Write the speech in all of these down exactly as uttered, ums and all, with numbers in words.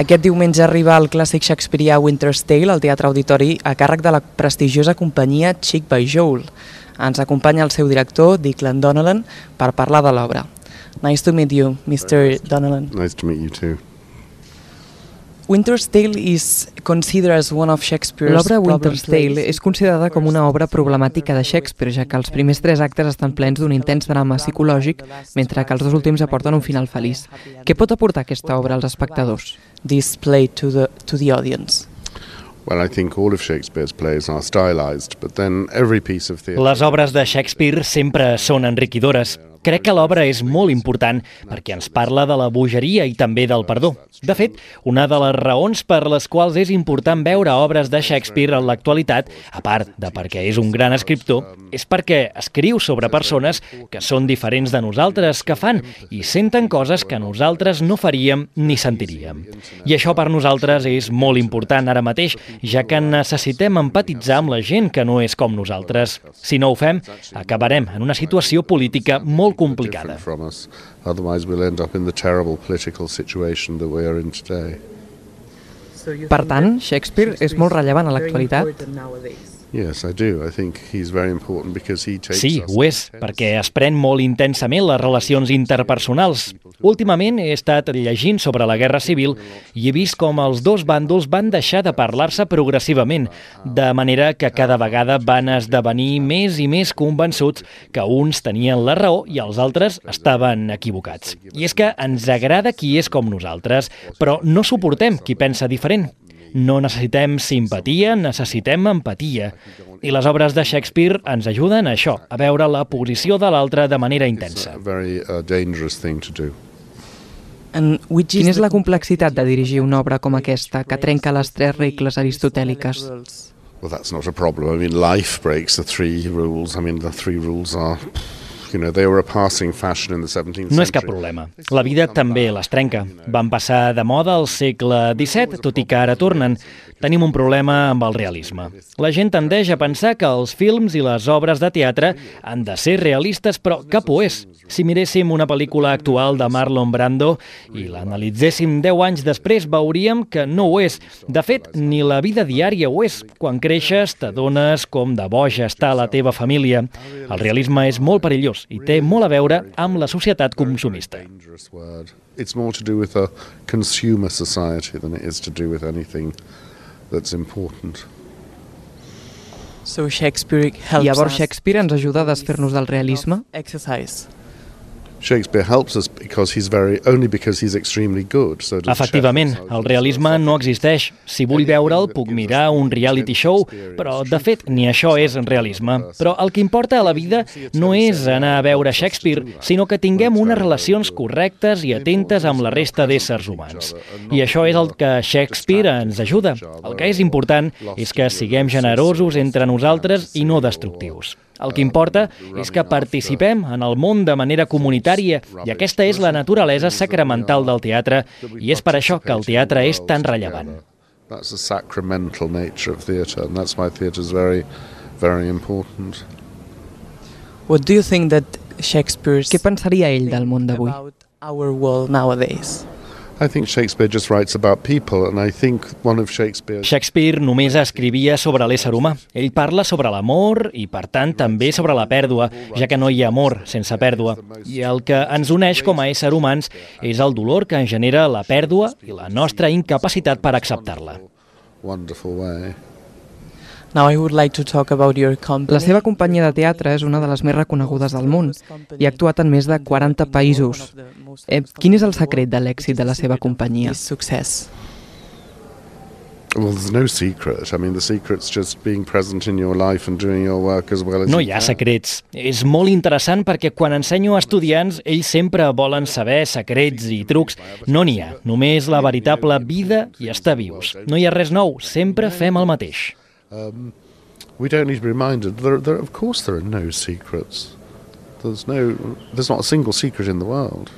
Aquest diumenge arriba el clàssic shakespearià Winter's Tale al Teatre Auditori a càrrec de la prestigiosa companyia Cheek by Jowl. Ens acompanya el seu director, Declan Donnellan, per parlar de l'obra. Nice to meet you, mister Donnellan. Nice to meet you too. Winter's Tale is considered as one of Shakespeare's L'obra Winter's problem Tale plays. és considerada com una obra problemàtica de Shakespeare, ja que els primers tres actes estan plens d'un intens drama psicològic, mentre que els dos últims aporten un final feliç. Què pot aportar aquesta obra als espectadors? This play to the, to the audience. Well, I think all of Shakespeare's plays are stylized, but then every piece of theatre... Les obres de Shakespeare sempre són enriquidores. Crec que l'obra és molt important perquè ens parla de la bogeria i també del perdó. De fet, una de les raons per les quals és important veure obres de Shakespeare en l'actualitat, a part de perquè és un gran escriptor, és perquè escriu sobre persones que són diferents de nosaltres, que fan i senten coses que nosaltres no faríem ni sentiríem. I això per nosaltres és molt important ara mateix, ja que necessitem empatitzar amb la gent que no és com nosaltres. Si no ho fem, acabarem en una situació política molt complicada. From us. Otherwise we'll end up in the terrible political situation that we are in today. Per tant, Shakespeare és molt rellevant a l'actualitat? Yes, I do. I think he's very important because he takes Sí, us ho és, perquè es pren molt intensament les relacions interpersonals. Últimament he estat llegint sobre la Guerra Civil i he vist com els dos bàndols van deixar de parlar-se progressivament, de manera que cada vegada van esdevenir més i més convençuts que uns tenien la raó i els altres estaven equivocats. I és que ens agrada qui és com nosaltres, però no suportem qui pensa diferent. No necessitem simpatia, necessitem empatia. I les obres de Shakespeare ens ajuden a això, a veure la posició de l'altre de manera intensa. a very uh, dangerous thing to do. And which Quina is és la complexitat de dirigir una obra com aquesta, que trenca les tres regles aristotèliques? Well, that's not a problem. I mean, life breaks the three rules. I mean, the three rules are, you know, they were a passing fashion in the seventeenth century. No és cap problema. La vida també les trenca. Van passar de moda al segle disset, tot i que ara tornen. Tenim un problema amb el realisme. La gent tendeix a pensar que els films i les obres de teatre han de ser realistes, però cap ho és. Si miréssim una pel·lícula actual de Marlon Brando i l'analitzéssim deu anys després, veuríem que no ho és. De fet, ni la vida diària ho és. Quan creixes, t'adones com de boja està la teva família. El realisme és molt perillós i té molt a veure amb la societat consumista. It's more to do with a consumer society than it is to do with anything that's important. So Shakespeare helps Llavors us Shakespeare ens ajuda a desfer-nos del realisme? exercise. Shakespeare helps us because he's very only because he's extremely good. So does Efectivament, Shakespeare. el realisme no existeix. Si vull veure'l, puc mirar un reality show, però, de fet, ni això és realisme. Però el que importa a la vida no és anar a veure Shakespeare, sinó que tinguem unes relacions correctes i atentes amb la resta d'éssers humans. I això és el que Shakespeare ens ajuda. El que és important és que siguem generosos entre nosaltres i no destructius. El que importa és que participem en el món de manera comunitària i aquesta és la naturalesa sacramental del teatre i és per això que el teatre és tan rellevant. That's the sacramental nature of theatre, and that's why theatre is very, very important. What do you think that Shakespeare's Què pensaria ell del món d'avui? about our world nowadays? I think Shakespeare just writes about people, and I think one of Shakespeare's... Shakespeare només escrivia sobre l'ésser humà. Ell parla sobre l'amor i, per tant, també sobre la pèrdua, ja que no hi ha amor sense pèrdua. I el que ens uneix com a éssers humans és el dolor que ens genera la pèrdua i la nostra incapacitat per acceptar-la. Wonderful way. Now I would like to talk about your company. La seva companyia de teatre és una de les més reconegudes del món i ha actuat en més de quaranta països. Eh, quin és el secret de l'èxit de la seva companyia? His success. Well, there's no secret. I mean, the secret's just being present in your life and doing your work as well as No you hi ha can. secrets. És molt interessant perquè quan ensenyo a estudiants, ells sempre volen saber secrets i trucs. No n'hi ha, només la veritable vida i estar vius. No hi ha res nou, sempre fem el mateix. Um, we don't need to be reminded. There, there, of course, there are no secrets. There's no. There's not a single secret in the world.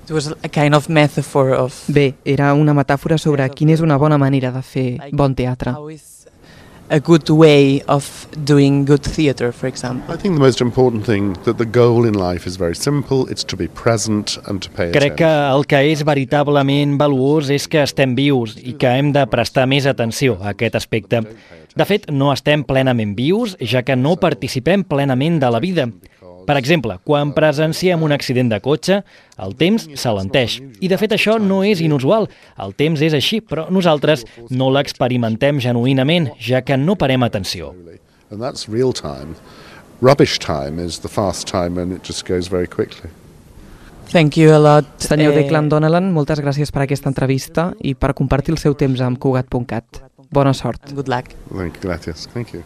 It was a kind of metaphor of Bé, era una metàfora sobre quina és una bona manera de fer bon teatre. how is a good way of doing good theatre, for example? I think the most important thing, that the goal in life is very simple, it's to be present and to pay Crec que attention. el que és veritablement valuós és que estem vius i que hem de prestar més atenció a aquest aspecte. De fet, no estem plenament vius, ja que no participem plenament de la vida. Per exemple, quan presenciem un accident de cotxe, el temps s'alenteix. I de fet això no és inusual. El temps és així, però nosaltres no l'experimentem genuïnament, ja que no parem atenció. And that's real time. Rubbish time is the fast time and it just goes very quickly. Thank you a lot. Senyor eh, Declan Donnellan, moltes gràcies per aquesta entrevista i per compartir el seu temps amb Cugat punt cat. Bona sort. Good luck. Thank you, gracias. Thank you.